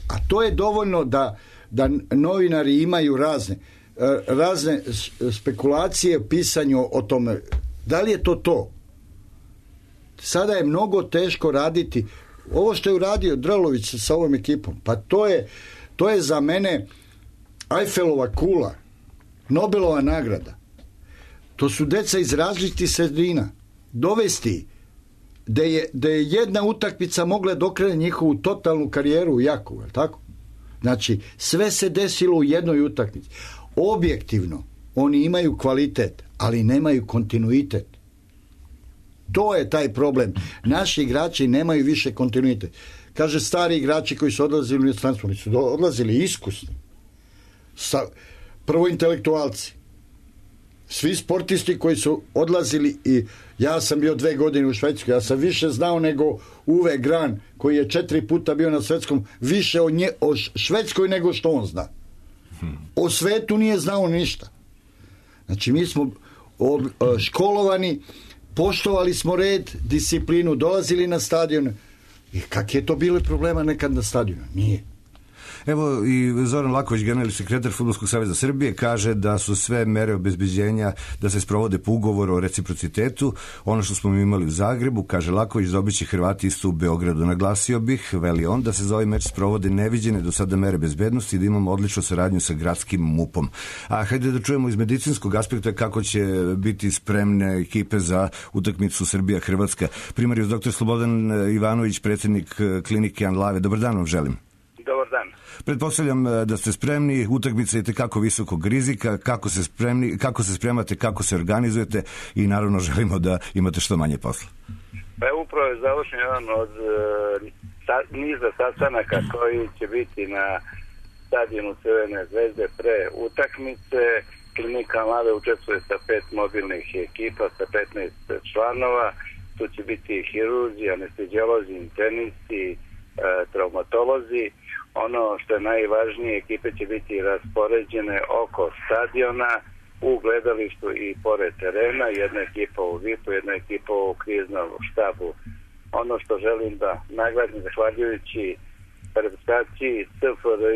A to je dovoljno da novinari imaju razne spekulacije u pisanju o tome. Da li je to? Sada je mnogo teško raditi. Ovo što je uradio Drlović sa ovom ekipom, pa to je za mene Eiffelova kula, Nobelova nagrada. To su deca iz različitih sredina. Dovesti da je jedna utakmica mogla da okrene njihovu totalnu karijeru u Jakovu, je li tako? Znači, sve se desilo u jednoj utakmici. Objektivno, oni imaju kvalitet, ali nemaju kontinuitet. To je taj problem. Naši igrači nemaju više kontinuitet. Kaže, stari igrači koji su odlazili u inostranstvo, oni su odlazili iskusni. Prvo intelektualci. Svi sportisti koji su odlazili i ja sam bio 2 godine u Švedskoj, ja sam više znao nego Uwe Gran koji je 4 puta bio na svetskom, više o Švedskoj nego što on zna. O svetu nije znao ništa. Znači mi smo školovani, poštovali smo red, disciplinu, dolazili na stadion. I kak je to bilo problema nekad na stadionu? Nije. Evo i Zoran Laković, generalni sekretar Fudbalskog saveza Srbije, kaže da su sve mere obezbeđenja da se sprovode po ugovoru o reciprocitetu. Ono što smo mi imali u Zagrebu, kaže Laković, dobiće Hrvati isto u Beogradu. Naglasio bih, veli on, da se za ovaj meč sprovode neviđene do sada mere bezbednosti i da imamo odličnu saradnju sa gradskim MUP-om. A hajde da čujemo iz medicinskog aspekta kako će biti spremne ekipe za utakmicu Srbija-Hrvatska. Primarius dr. Slobodan Ivanović, predsjednik klinike Anlave. Dobar dan vam želim. Dobar dan. Pretpostavljam da ste spremni, utakmica je tekako visokog rizika, kako se spremate, kako se organizujete i naravno želimo da imate što manje posla. Pa je upravo je završen jedan od niza sastanaka koji će biti na stadionu Crvene zvezde pre utakmice klinika mlade učestvuje sa 5 mobilnih ekipa, sa 15 članova. Tu će biti hirurzi, anesteziolozi, internisti, traumatolozi. Ono što je najvažnije, ekipe će biti raspoređene oko stadiona, u gledalištu i pored terena, jedna ekipa u VIP-u, jedna ekipa u kriznom štabu. Ono što želim da naglasim, zahvaljujući reprezentaciji SFRJ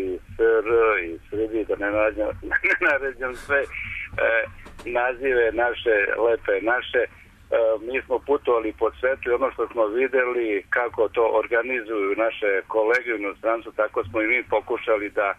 i SR i Srbiji, da ne naređam sve nazive naše, lepe naše, mi smo putovali po svetu i ono što smo videli kako to organizuju naše kolege u inostranstvu, tako smo i mi pokušali da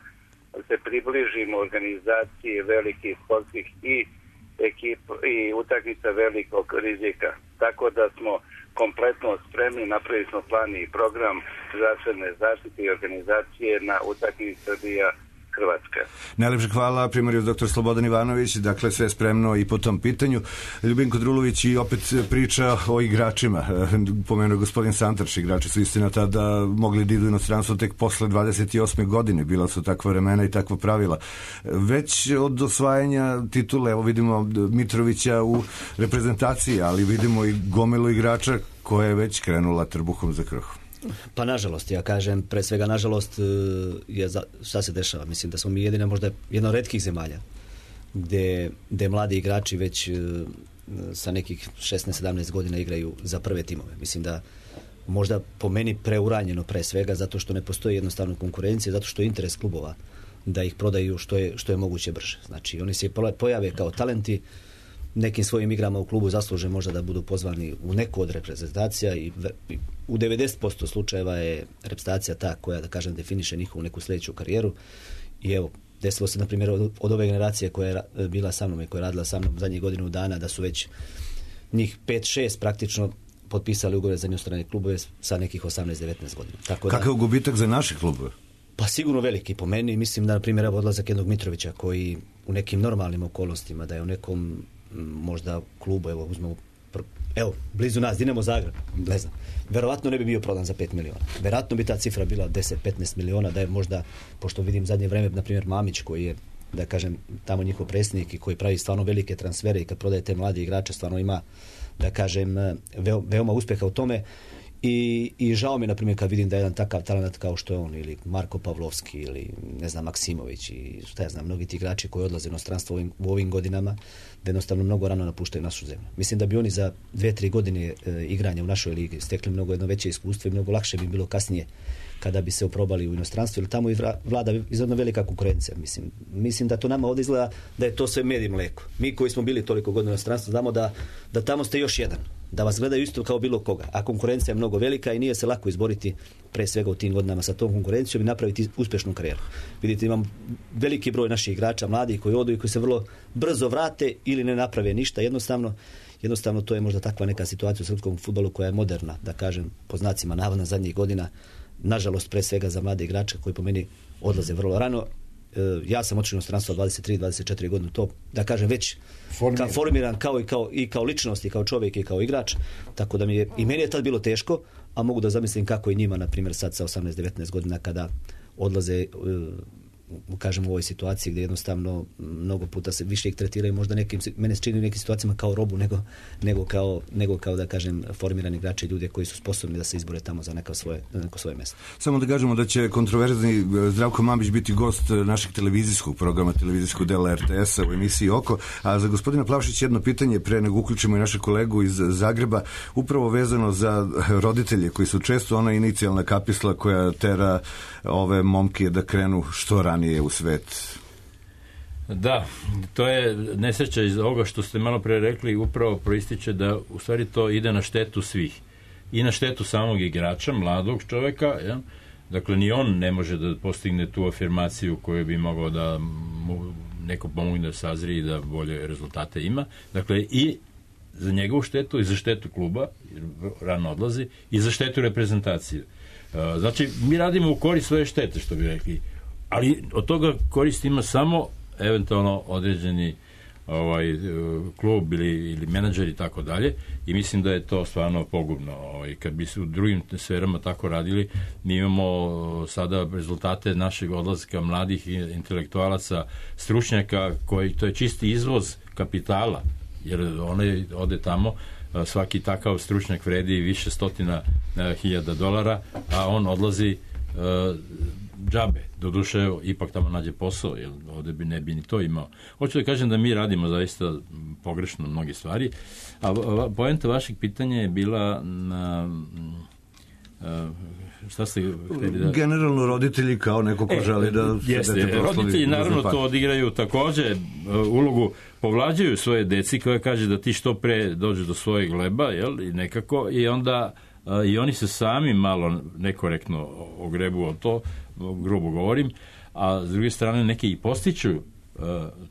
se približimo organizaciji velikih sportskih i utakmica velikog rizika. Tako da smo kompletno spremni, napravili smo plan i program zdravstvene zaštite i organizacije na utakmici Srbija-Hrvatska. Najlepše hvala, primarijus dr. Slobodan Ivanović, dakle sve spremno i po tom pitanju. Ljubinko Drulović i opet priča o igračima. Pomenuo gospodin Santraš, igrači su istina tada mogli da idu inostranstvo tek posle 28. godine, bila su takva vremena i takva pravila. Već od osvajanja titule, evo vidimo Mitrovića u reprezentaciji, ali vidimo i gomilu igrača koja je već krenula trbuhom za kruh. Pa nažalost, ja kažem, pre svega nažalost, šta se dešava? Mislim da smo mi možda jedna od retkih zemalja gde mladi igrači već sa nekih 16-17 godina igraju za prve timove. Mislim da možda po meni preuranjeno pre svega, zato što ne postoji jednostavno konkurencija, zato što je interes klubova da ih prodaju što je moguće brže. Znači, oni se pojave kao talenti, nekim svojim igrama u klubu zasluže možda da budu pozvani u neku od reprezentacija i u 90% slučajeva je reprezentacija ta koja, da kažem, definiše njihovu neku sljedeću karijeru. I evo, desilo se, na primjer, od ove generacije koja je bila sa mnom i koja je radila sa mnom zadnjih godinu dana, da su već njih 5-6 praktično potpisali ugovore za inostrane klubove sa nekih 18-19 godina. Kakav je gubitak za naše klubove? Pa sigurno veliki po meni. Mislim da, na primjer, odlazak jednog Mitrovića koji u nekim normalnim okolnostima, da je u nekom možda klubu, evo, blizu nas, Dinamo Zagreb, ne znam, verovatno ne bi bio prodan za 5 miliona. Verovatno bi ta cifra bila 10-15 miliona, da je možda, pošto vidim zadnje vreme, na primjer, Mamić, koji je, da kažem, tamo njihov predsjednik i koji pravi stvarno velike transfere i kad prodaje te mlade igrače, stvarno ima, da kažem, veoma uspjeha u tome. I žao mi, na primjer, kad vidim da je jedan takav talent kao što je on, ili Marko Pavlovski, ili ne znam, Maksimović i šta ja znam, mnogi ti igrači koji odlaze u inostranstvo u ovim godinama, da jednostavno mnogo rano napuštaju našu zemlju. Mislim da bi oni za 2-3 godine igranja u našoj ligi stekli mnogo jedno veće iskustvo i mnogo lakše bi bilo kasnije kada bi se oprobali u inostranstvu, jer tamo i vlada izredno velika konkurencija. Mislim da to nama ovdje izgleda da je to sve med i mleko. Mi koji smo bili toliko godina u inostranstvu znamo da tamo ste još jedan, da vas gledaju isto kao bilo koga, a konkurencija je mnogo velika i nije se lako izboriti pre svega u tim godinama sa tom konkurencijom i napraviti uspješnu karijeru. Vidite, imam veliki broj naših igrača, mladih koji odu i koji se vrlo brzo vrate ili ne naprave ništa. Jednostavno to je možda takva neka situacija u srpskom fudbalu koja je moderna, da kažem, po znacima navodna zadnjih godina, nažalost pre svega za mlade igrače koji po meni odlaze vrlo rano. Ja sam otišao u inostranstvo 23-24 godine, to, da kažem, već formiran kao ličnost i kao čovjek i kao igrač, tako da i meni je tad bilo teško, a mogu da zamislim kako i njima, na primjer, sad sa 18-19 godina kada odlaze, kažem, u ovoj situaciji gdje jednostavno mnogo puta se više ih tretiraju, možda mene se čini u nekim situacijama kao robu nego kao, da kažem, formirani igrači, ljude koji su sposobni da se izbore tamo za neko svoje mjesto. Samo da kažemo da će kontroverzni Zdravko Mamić biti gost našeg televizijskog programa, televizijskog dela RTS-a u emisiji Oko. A za gospodina Plavšića jedno pitanje pre nego uključimo i našeg kolegu iz Zagreba, upravo vezano za roditelje koji su često ona inicijalna kapisla koja tera ove momke da krenu što ranije u svet. Da, to je nesreća iz ovoga što ste malo pre rekli, upravo proističe da u stvari to ide na štetu svih. I na štetu samog igrača, mladog čovjeka, ja? Dakle, ni on ne može da postigne tu afirmaciju koju bi mogao da mu neko pomogne da sazri i da bolje rezultate ima. Dakle, i za njegovu štetu i za štetu kluba, jer rano odlazi, i za štetu reprezentacije. Znači, mi radimo u korist svoje štete, što bi rekli. Ali od toga korist ima samo eventualno određeni klub ili menadžer i tako dalje, i mislim da je to stvarno pogubno. Kad bi se u drugim sferama tako radili, mi imamo sada rezultate našeg odlaska mladih intelektualaca, stručnjaka, to je čisti izvoz kapitala, jer onaj ode tamo, svaki takav stručnjak vredi više stotina $1,000, a on odlazi džabe. Doduše, ipak tamo nađe posao, jer ovdje ne bi ni to imao. Hoću da kažem da mi radimo zaista pogrešno mnoge stvari, a poenta vašeg pitanja je bila na... šta ste htjeli da... Generalno roditelji kao neko ko želi da... Jeste, roditelji naravno to odigraju također ulogu, povlađuju svoje deci koja kaže da ti što pre dođe do svojeg leba, jel, i nekako, i onda i oni se sami malo nekorektno ogrebu o to, grubo govorim, a s druge strane neki i postiču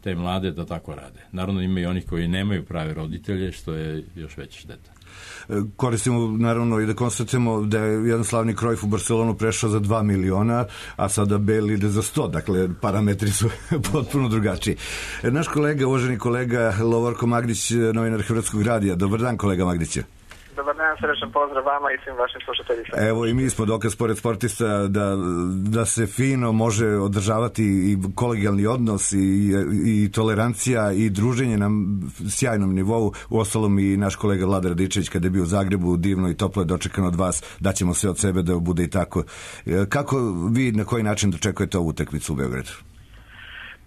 te mlade da tako rade. Naravno ima i onih koji nemaju prave roditelje, što je još veća šteta. Koristimo naravno i da konstatujemo da je jedan slavni Cruyff u Barcelonu prešao za 2 miliona, a sada Bale ide za 100, dakle parametri su potpuno drugačiji. Naš kolega, uvaženi kolega Lovorko Magdić, novinar Hrvatskog radija. Dobar dan, kolega Magdiću. Dobar dan, srećan pozdrav vama i svim vašim slušateljima. Evo i mi smo dokaz pored sportista da se fino može održavati i kolegijalni odnos i tolerancija i druženje na sjajnom nivou. Uostalom i naš kolega Vlada Radičević kada je bio u Zagrebu, divno i toplo je dočekan od vas, daćemo sve od sebe da bude i tako. Kako vi na koji način dočekujete ovu utakmicu u Beogradu?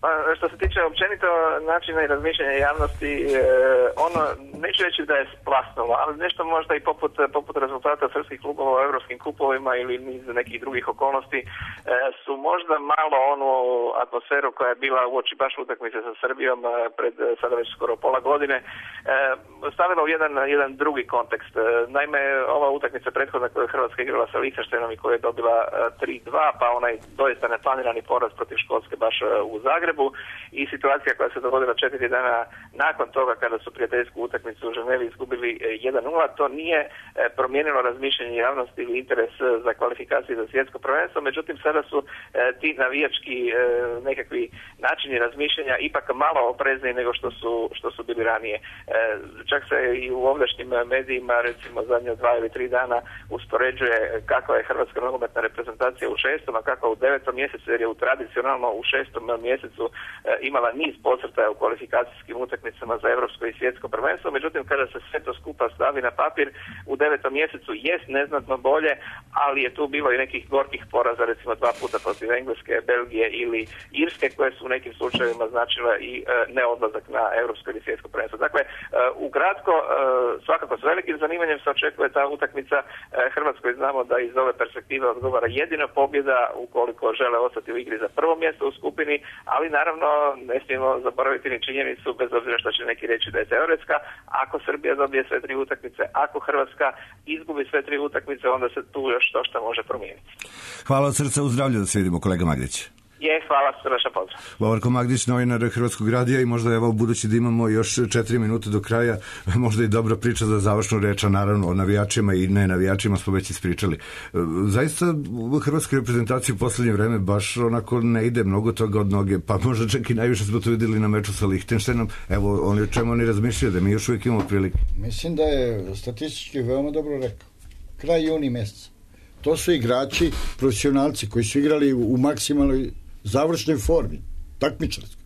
Pa, što se tiče općenito načina i razmišljanja javnosti, ono, neću reći da je splasnulo, ali nešto možda i poput rezultata srpskih klubova u evropskim kupovima ili niz nekih drugih okolnosti su možda malo onu atmosferu koja je bila uoči baš utakmice sa Srbijom pred sada već skoro pola godine stavila u jedan drugi kontekst. Naime, ova utakmica prethodna koja je Hrvatska igrala sa Lichtensteinom i koja je dobila 3-2, pa onaj doista neplanirani poraz protiv Škotske baš u Zagrebu, i situacija koja se dogodila 4 dana nakon toga kada su prijateljsku utakmicu u Ženevi izgubili 1-0, to nije promijenilo razmišljanje javnosti ili interes za kvalifikacije za svjetsko prvenstvo, međutim sada su ti navijački nekakvi načini razmišljanja ipak malo oprezniji nego što su bili ranije. Čak se i u ovdašnjim medijima, recimo zadnje 2 ili 3 dana, uspoređuje kakva je hrvatska nogometna reprezentacija u 6. a kakva u 9. mjesecu, jer je tradicionalno u 6. mjesecu imala niz podcrtaja u kvalifikacijskim utakmicama za evropsko i svjetsko prvenstvo, međutim kada se sve to skupa stavi na papir, u 9. mjesecu jest neznatno bolje, ali je tu bilo i nekih gorkih poraza, recimo 2 puta protiv Engleske, Belgije ili Irske, koje su u nekim slučajevima značile i neodlazak na evropsko ili svjetsko prvenstvo. Dakle, ukratko, svakako s velikim zanimanjem se očekuje ta utakmica. Hrvatskoj znamo da iz ove perspektive odgovara jedino pobjeda ukoliko žele ostati u igri za prvo mjesto u skupini, ali naravno ne smijemo zaboraviti ni činjenicu, bez obzira što će neki reći da je teoretska, ako Srbija dobije sve 3 utakmice, ako Hrvatska izgubi sve 3 utakmice, onda se tu još to što može promijeniti. Hvala od srca, u zdravlje da se vidimo, kolega Magdić. Hvala, srdačan pozdrav. Lovorko Magdić, novinar Hrvatskog radija, i možda evo budući da imamo još 4 minute do kraja, možda i dobra priča za završnu reč, naravno o navijačima i ne navijačima smo već ispričali. Zaista hrvatska reprezentacija u posljednje vreme baš onako ne ide mnogo toga od noge, pa možda čak i najviše smo to vidjeli na meču sa Lichtensteinom. Evo, oni o čemu oni razmišljaju, da mi još uvijek imamo prilike. Mislim da je statistički veoma dobro rekao. Kraj juni mjeseca. To su igrači, profesionalci koji su igrali u maksimalnoj završnoj formi, takmičarskoj.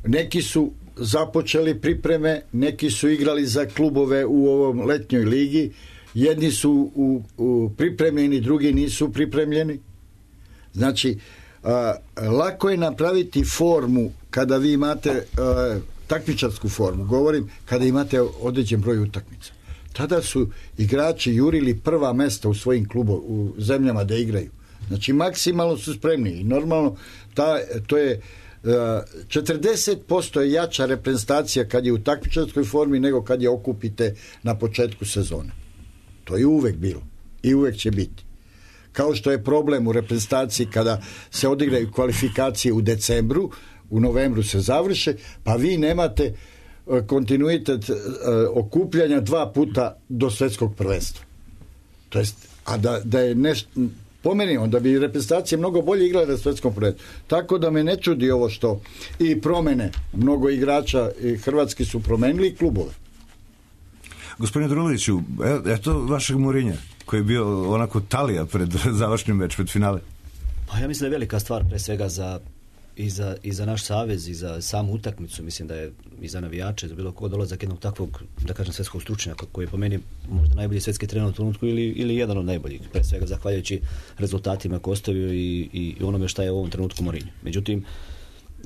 Neki su započeli pripreme, neki su igrali za klubove u ovom letnjoj ligi, jedni su pripremljeni, drugi nisu pripremljeni. Znači, lako je napraviti formu kada vi imate takmičarsku formu, govorim kada imate određen broj utakmica. Tada su igrači jurili prva mesta u svojim klubovima, u zemljama da igraju. Znači, maksimalno su spremni i normalno to je 40% je jača reprezentacija kad je u takmičarskoj formi nego kad je okupite na početku sezone. To je uvek bilo i uvek će biti. Kao što je problem u reprezentaciji kada se odigraju kvalifikacije u decembru, u novembru se završe, pa vi nemate kontinuitet okupljanja 2 puta do svjetskog prvenstva. To jest, a da je Po meni, onda bi reprezentacije mnogo bolje igrale na svetskom prvenstvu. Tako da me ne čudi ovo što i promene. Mnogo igrača i hrvatski su promenili klubove. Gospodine Druloviću, eto vašeg Mourinha, koji je bio onako talija pred završnim meč, pred finale. Pa ja mislim da je velika stvar pre svega i za naš savez i za samu utakmicu. Mislim da je i za navijače, za bilo koga dolazak jednog takvog, da kažem, svetskog stručnjaka koji je po meni možda najbolji svetski trener u trenutku ili jedan od najboljih, pre svega zahvaljujući rezultatima koje ostavio i onome šta je u ovom trenutku Mourinho. Međutim,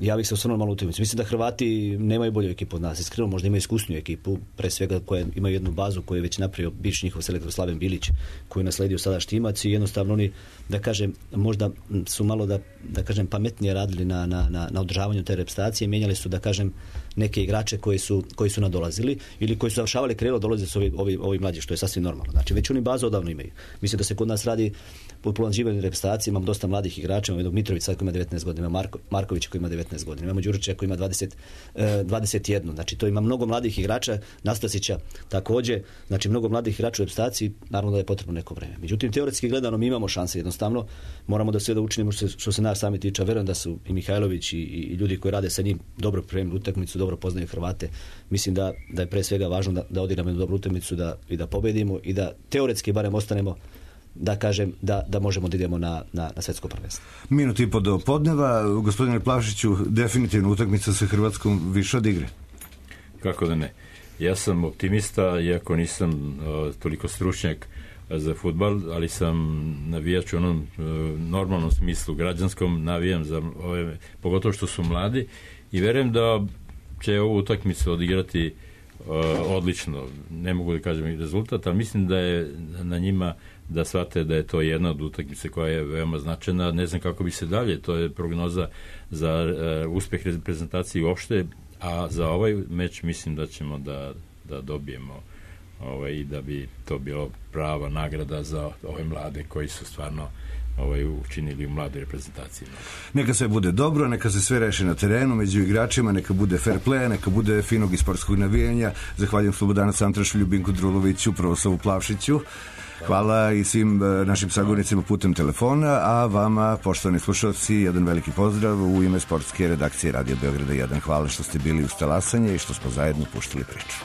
ja bih se osvrnuo malo u utakmicu. Mislim da Hrvati nemaju bolju ekipu od nas. Iskreno, možda imaju iskusniju ekipu, pre svega koja imaju jednu bazu koju je već napravio bivši njihov selektor Slaven Bilić, koju je nasledio sada Štimac i jednostavno oni, da kažem, možda su malo da kažem pametnije radili na održavanju te reprezentacije, mijenjali su, da kažem, neke igrače koji su nadolazili ili koji su završavali karijeru, dolaze su ovi mlađi, što je sasvim normalno. Znači, već oni bazu odavno imaju. Mislim da se kod nas radi po planživanju reprezentacije, imam dosta mladih igrača, imam jednog Mitrovića koji ima 19 godina, imam Markovića koji ima 19 godina, imamo Đurića koji ima 21, znači to ima mnogo mladih igrača, Nastasića također, znači mnogo mladih igrača u reprezentaciji, naravno da je potrebno neko vreme. Međutim, teoretski gledano mi imamo šanse, jednostavno moramo da sve da učinimo što se nas sami tiče. Verujem da su i Mihajlović i ljudi koji rade sa njim dobro pripremili utakmicu, dobro poznaju Hrvate. Mislim da je pre svega važno da odigramo jednu dobru utakmicu i da pobedimo i da teoretski barem ostanemo, da kažem, da možemo da idemo na svetsko prvenstvo. Minut i po do podneva. Gospodine Plavšiću, definitivno utakmica sa Hrvatskom više od igre. Kako da ne. Ja sam optimista, iako nisam toliko stručnjak za fudbal, ali sam navijač u onom normalnom smislu, građanskom, navijam za ove, pogotovo što su mladi, i verujem da će ovu utakmicu odigrati odlično. Ne mogu da kažem i rezultat, ali mislim da je na njima da shvate da je to jedna od utakmice koja je veoma značajna. Ne znam kako bi se dalje, to je prognoza za uspeh reprezentacije uopšte, a za ovaj meč mislim da ćemo da dobijemo i da bi to bilo prava nagrada za ove mlade koji su stvarno učinili u mladoj reprezentaciji. Neka sve bude dobro, neka se sve reši na terenu, među igračima, neka bude fair play, neka bude finog i sportskog navijanja. Zahvaljujem Slobodanu Santrašu, Ljubinku Druloviću, Provoslavu Plavšiću. Hvala i svim našim sagovornicima putem telefona, a vama, poštovani slušalci, jedan veliki pozdrav u ime sportske redakcije Radio Beograda 1. Hvala što ste bili uz talasanje i što smo zajedno puštali priču.